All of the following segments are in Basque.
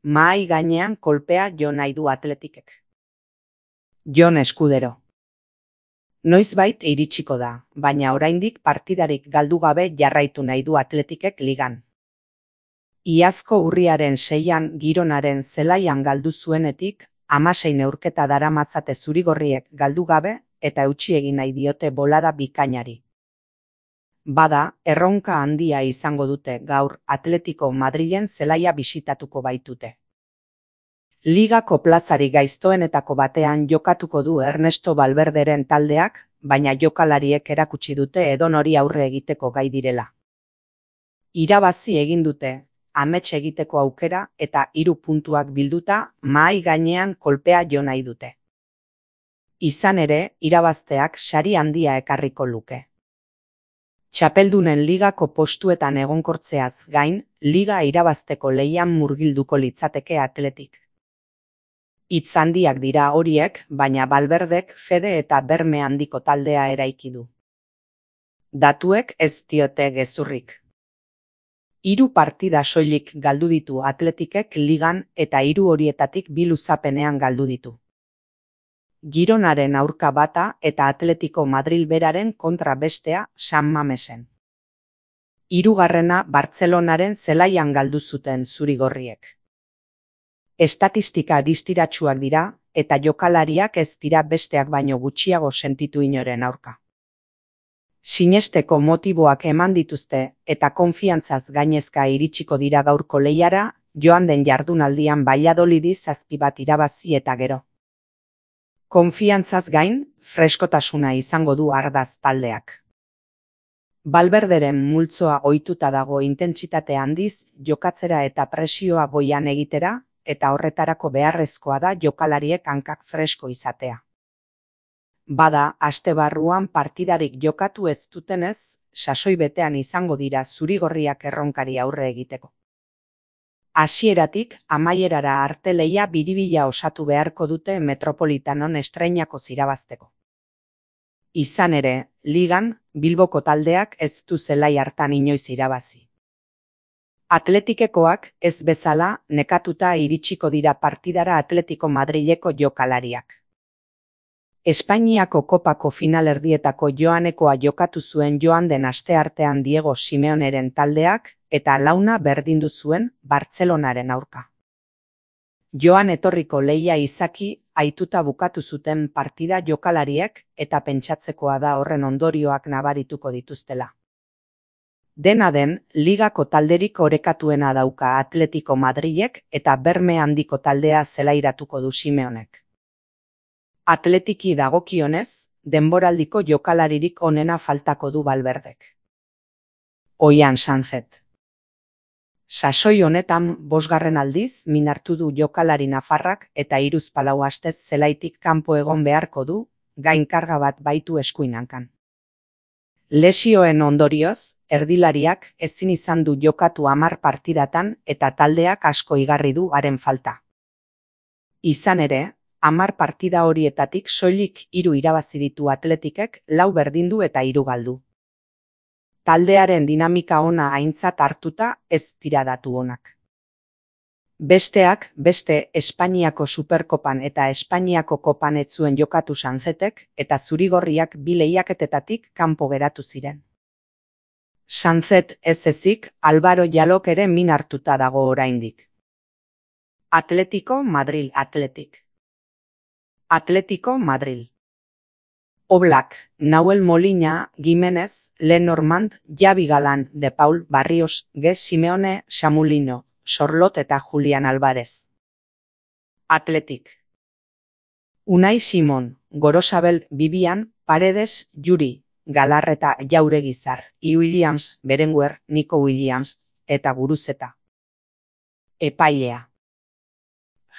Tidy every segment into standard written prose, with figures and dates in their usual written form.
Mahai gainean kolpea jo nahi du Atletikek. Jon Eskudero. Noizbait iritsiko da, baina oraindik partidarik galdu gabe jarraitu nahi du Atletikek ligan. Iazko urriaren 6an Gironaren zelaian galdu zuenetik, 16 neurketa daramatzate zurigorriek galdu gabe eta eutsi egin nahi diote bolada bikainari. Bada, erronka handia izango dute gaur Atletico Madrilen zelaia bisitatuko baitute. Ligako plazari gaiztoenetako batean jokatuko du Ernesto Valverderen taldeak, baina jokalariek erakutsi dute edonori aurre egiteko gai direla. Irabazi egin dute, amets egiteko aukera eta 3 puntuak bilduta mahai gainean kolpea jo nahi dute. Izan ere, irabazteak sari handia ekarriko luke. Txapeldunen ligako postuetan egonkortzeaz gain, liga irabazteko lehian murgilduko litzateke Atletik. Hitz handiak dira horiek, baina Valverdek fede eta berme handiko taldea eraiki du. Datuek ez diote gezurrik. 3 partida soilik galdu ditu Atletikek ligan eta 3 horietatik 2 luzapenean galdu ditu. Gironaren aurka bata eta Atletico Madril beraren kontra bestea San Mamesen. 3. Bartzelonaren zelaian galdu zuten zurigorriek. Estatistika distiratsuak dira eta jokalariak ez dira besteak baino gutxiago sentitu inoren aurka. Sinesteko motiboak eman dituzte eta konfiantzaz gainezka iritsiko dira gaurko lehiara, joan den jardunaldian Valladolidi 7 bat irabazi eta gero. Konfiantzaz gain, freskotasuna izango du ardaz taldeak. Valverderen multzoa ohituta dago intentsitate handiz jokatzera eta presioa goian egitera, eta horretarako beharrezkoa da jokalariek hankak fresko izatea. Bada, aste barruan partidarik jokatu ez dutenez, sasoi betean izango dira zurigorriak erronkari aurre egiteko. Hasieratik, amaierara arte lehia biribila osatu beharko dute Metropolitanon estreinakoz irabazteko. Izan ere, ligan, Bilboko taldeak ez du zelai hartan inoiz irabazi. Atletikekoak ez bezala nekatuta iritsiko dira partidara Atletico Madrileko jokalariak. Espainiako kopako finalerdietako joanekoa jokatu zuen joan den asteartean Diego Simeoneren taldeak eta launa berdindu zuen Bartzelonaren aurka. Joan etorriko lehia izaki aituta bukatu zuten partida jokalariek eta pentsatzekoa da horren ondorioak nabarituko dituztela. Dena den, ligako talderik orekatuena dauka Atletico Madrilek eta berme handiko taldea zelairatuko du Simeonek. Atletiki dagokionez, denboraldiko jokalaririk onena faltako du Valverdek. Oian Sanzet. Sasoi honetan 5. aldiz minartu du jokalari nafarrak eta 3-4 astez zelaitik kanpo egon beharko du, gainkarga bat baitu eskuinankan. Lesioen ondorioz, erdilariak ezin izan du jokatu 10 partidatan eta taldeak asko igarri du haren falta. Izan ere, 10 partida horietatik soilik 3 irabazi ditu Atletikek, 4 berdindu eta 3 galdu. Taldearen dinamika ona aintzat hartuta ez dira datu onak. Besteak, beste Espainiako Superkopan eta Espainiako Kopan ez zuen jokatu Sanzetek eta zurigorriak 2 lehiaketetatik kanpo geratu ziren. Sanzet ez ezik, Álvaro Jalok ere min hartuta dago oraindik. Atletico Madril Atletik. Atletico Madril. Oblak, Nahuel Molina, Giménez, Lenormand, Javi Galán, De Paul, Barrios, Ge Simeone, Samulino, Sorlot eta Julián Álvarez. Atletik. Unai Simon, Gorosabel, Vivian, Paredes, Yuri, Galarreta, Jauregizar, I. Williams, Berenguer, Nico Williams, eta Guruzeta. Epailea.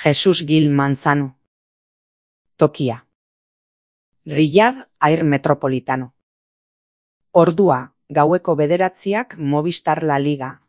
Jesus Gil Manzano. Tokia. Riyad Air Metropolitano. Ordua, gaueko 9:00 Movistar La Liga,